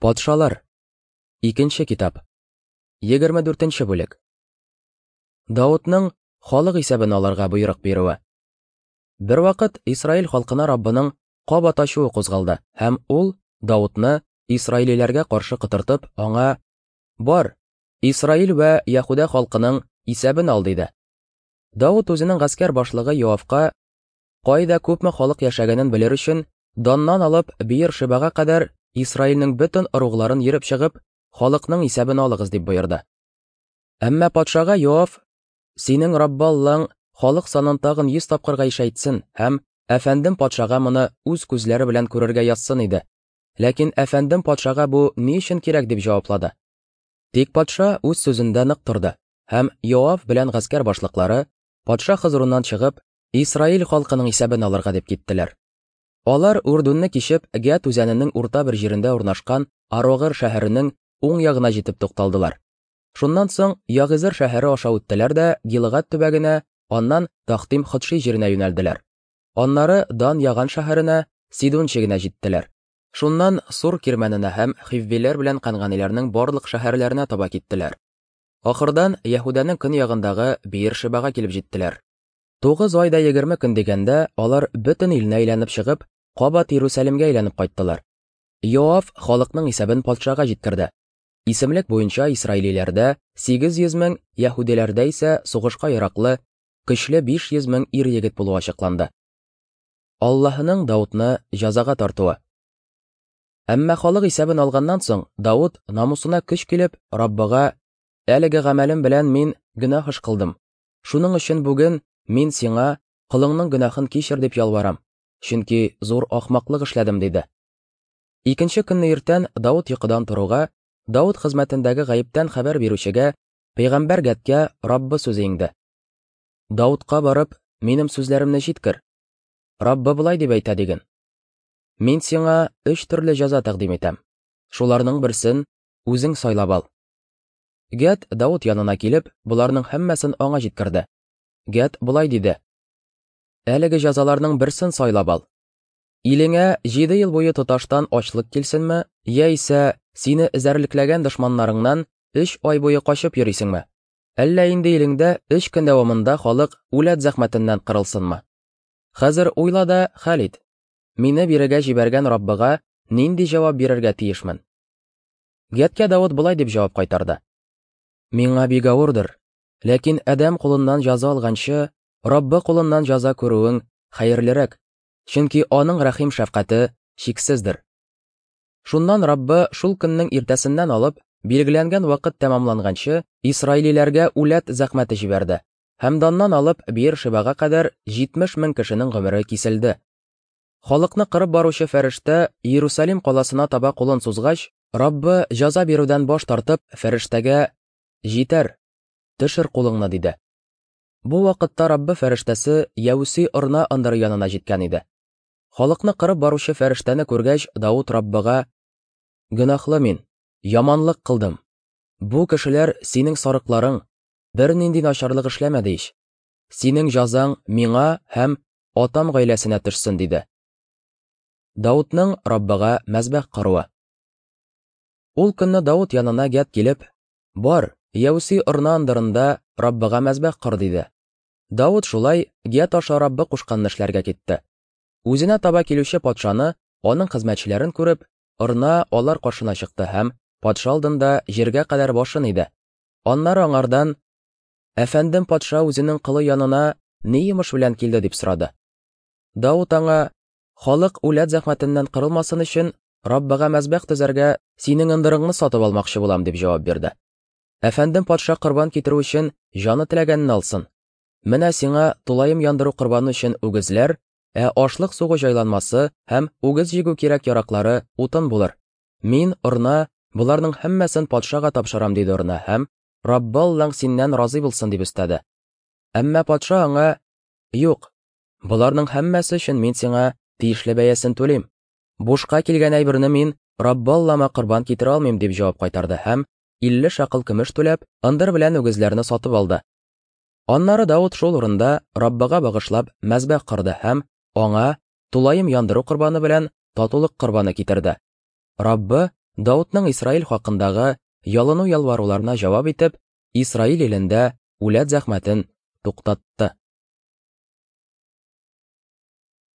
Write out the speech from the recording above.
Патшалар. Икенче китап. 24 нче бүлек. Давытның халык исәбен алырга боерык бирүе. Бервакыт Исраил халкына Раббының кабат ачуы кузгалды, һәм ул Давытны исраилиләргә каршы котыртып, аңа: "Бар, Исраил вә Яһүдә халкының исәбен ал", диде. Давыт үзенең гаскәр башлыгы Йоавка кайда күпме халык яшәгәнен белер өчен, Даннан алып Биер-Шебага кадәр Исраилнең бөтен ыругларын йөреп чыгып, халыкның исәбен алыгыз дип боерды. Әмма патшага Йоав: "Синең Раббы Аллаң халык санын тагын 100 тапкырга ишәйтсен һәм әфәндем патшага моны үз күзләре белән күрергә язсын иде. Ләкин әфәндем патшага бу ни өчен кирәк?" дип җаваплады. Тик патша үз сүзендә нык торды, һәм Йоав белән гаскәр башлыклары, патша хозурыннан чыгып, Исраил халкының исәбен алырга дип киттеләр. Алар Үрдүнне кичеп, Гәт үзәненең урта бер җирендә урнашкан Арогыр шәһәренең уң ягына җитеп тукталдылар. Шуннан соң Ягызыр шәһәре аша үттеләр дә Гилгад төбәгенә, аннан Тахтим Ходши җиренә юнәлделәр. Аннары Дан Яган шәһәренә, Сидун чигенә җиттеләр. Шуннан Сур кирмәненә һәм хиввиләр белән канганиләрнең барлык шәһәрләренә таба киттеләр. Ахырдан Яһүдәнең көньягындагы Биер-Шебага килеп җиттеләр. Тугыз ай да 20 көн дигәндә, алар бөтен илне әйләнеп чыгып, кабат Иерусалимгә әйләнеп кайттылар. Йоав халыкның исәбен патшага җиткерде. Исемлек буенча исраилиләрдә 800 мең, яһүдиләрдә исә сугышка яраклы, көчле 500 мең ир-егет булуы ачыкланды. Аллаһының Даутны җәзага тартуы. Әмма халык исәбен алганнан соң, Давыт намусына көч килеп, Раббыга: "Әлеге гамәлем белән мин гөнаһ эш кылдым. Шуның өчен бүген мин сиңа колыңның гөнаһын кичер дип ялварам, чөнки зур ахмаклык эшләдем, диде. Икенче көнне иртән Давыт йокыдан торуга, Давыт хезмәтендәге гаептән хәбәр бирүчегә, пәйгамбәр Гәдкә Раббы сүзе иңде. Давытка барып, минем сүзләремне җиткер. Раббы болай дип әйтә диген. Мин сиңа өч төрле җәза тәкъдим итәм. Шуларның берсен үзең сайлап ал. Гәд Давыт янына килеп, боларның һәммәсен аңа җиткерде. Гәд болай диде: Әлеге җәзаларның берсен сайлап ал. Илеңә җиде ел буе тоташтан ачлык килсенме, яисә сине эзәрлекләгән дошманнарыңнан өч ай буе качып йөрисеңме? Әллә инде илеңдә өч көн дәвамында халык үләт зәхмәтеннән кырылсынмы? Хәзер уйла да хәл ит. Мине бирегә җибәргән Раббыга нинди җавап бирергә тиешмен? Гәткә Давыт болай дип җавап кайтарды. Миңа бик авырдыр, ләкин адәм кулыннан җәза алганчы, Раббы кулыннан җәза күрүең хәерлерәк, чөнки аның рәхим шәфкате чиксездер. Шуннан Раббы шул көннең иртәсеннән алып, билгеләнгән вакыт тәмамланганчы, исраилиләргә үләт зәхмәте җибәрде, һәм Даннан алып Биер-Шибага кадәр 70 мең кешенең гомере киселде. Халыкны кырып баручы фәрештә Иерусалим каласына таба кулын сузгач, Раббы җәза бирүдән баш тартып, фәрештәгә: "Җитәр, төшер кулыңны", диде. Бу вакытта Раббы фәрештәсе Яүси Орна ындыры янына җиткән иде. Халыкны кырып баручы фәрештәне күргәч, Давыт Раббыга: "Гөнаһлы мин, яманлык кылдым. Бу кешеләр синең сарыкларың, бернинди начарлык эшләмәде ич. Синең җәзаң миңа һәм атам гаиләсенә төшсен, диде. Даутның Раббыга мәзбәх коруы. Ул көнне Даут янына Гәд килеп, Бар, Яүси Орна ындырында Раббыга мәзбәх кор, диде. Даут шулай Гәд аша Раббы кушканны эшләргә китте. Үзенә таба килүче патшаны, аның хезмәтчеләрен күреп, Орна алар каршына чыкты һәм патша алдында җиргә кадәр башын иде. Аннары аңардан: Әфәндем патша үзенең колы янына ни йомыш белән килде дип сорады. Давыт аңа, халык үләт зәхмәтеннән кырылмасын өчен, Раббыга мәзбәх төзәргә синең ындырыңны сатып алмакчы булам, дип җавап бирде. Әфәндем патша корбан китерү өчен җаны теләгәнен алсын. Менә сиңа тулаем яндыру корбаны өчен үгезләр, ә ашлык сугу җайланмасы һәм үгез җигү кирәк-яраклары утын булыр. Мин, Орна, боларның һәммәсен патшага тапшырам, диде Орна һәм Раббы Аллаң синнән разый булсын, дип өстәде. Әмма патша аңа: Юк, боларның һәммәсе өчен мин сиңа тиешле бәясен түлим. Бушка килгән әйберне мин Раббы Аллама корбан китерә алмыйм, дип җавап кайтарды һәм 50 шакыл көмеш түләп, ындыр белән үгезләрне сатып алды. Аннары Давыт шул урында Раббыга багышлап мәзбәх корды һәм аңа тулаем яндыру корбаны белән татулык корбаны китерде. Раббы Даутның Исраил хакындагы ялыну-ялваруларына җавап итеп, Исраил илендә үләт зәхмәтен туктатты.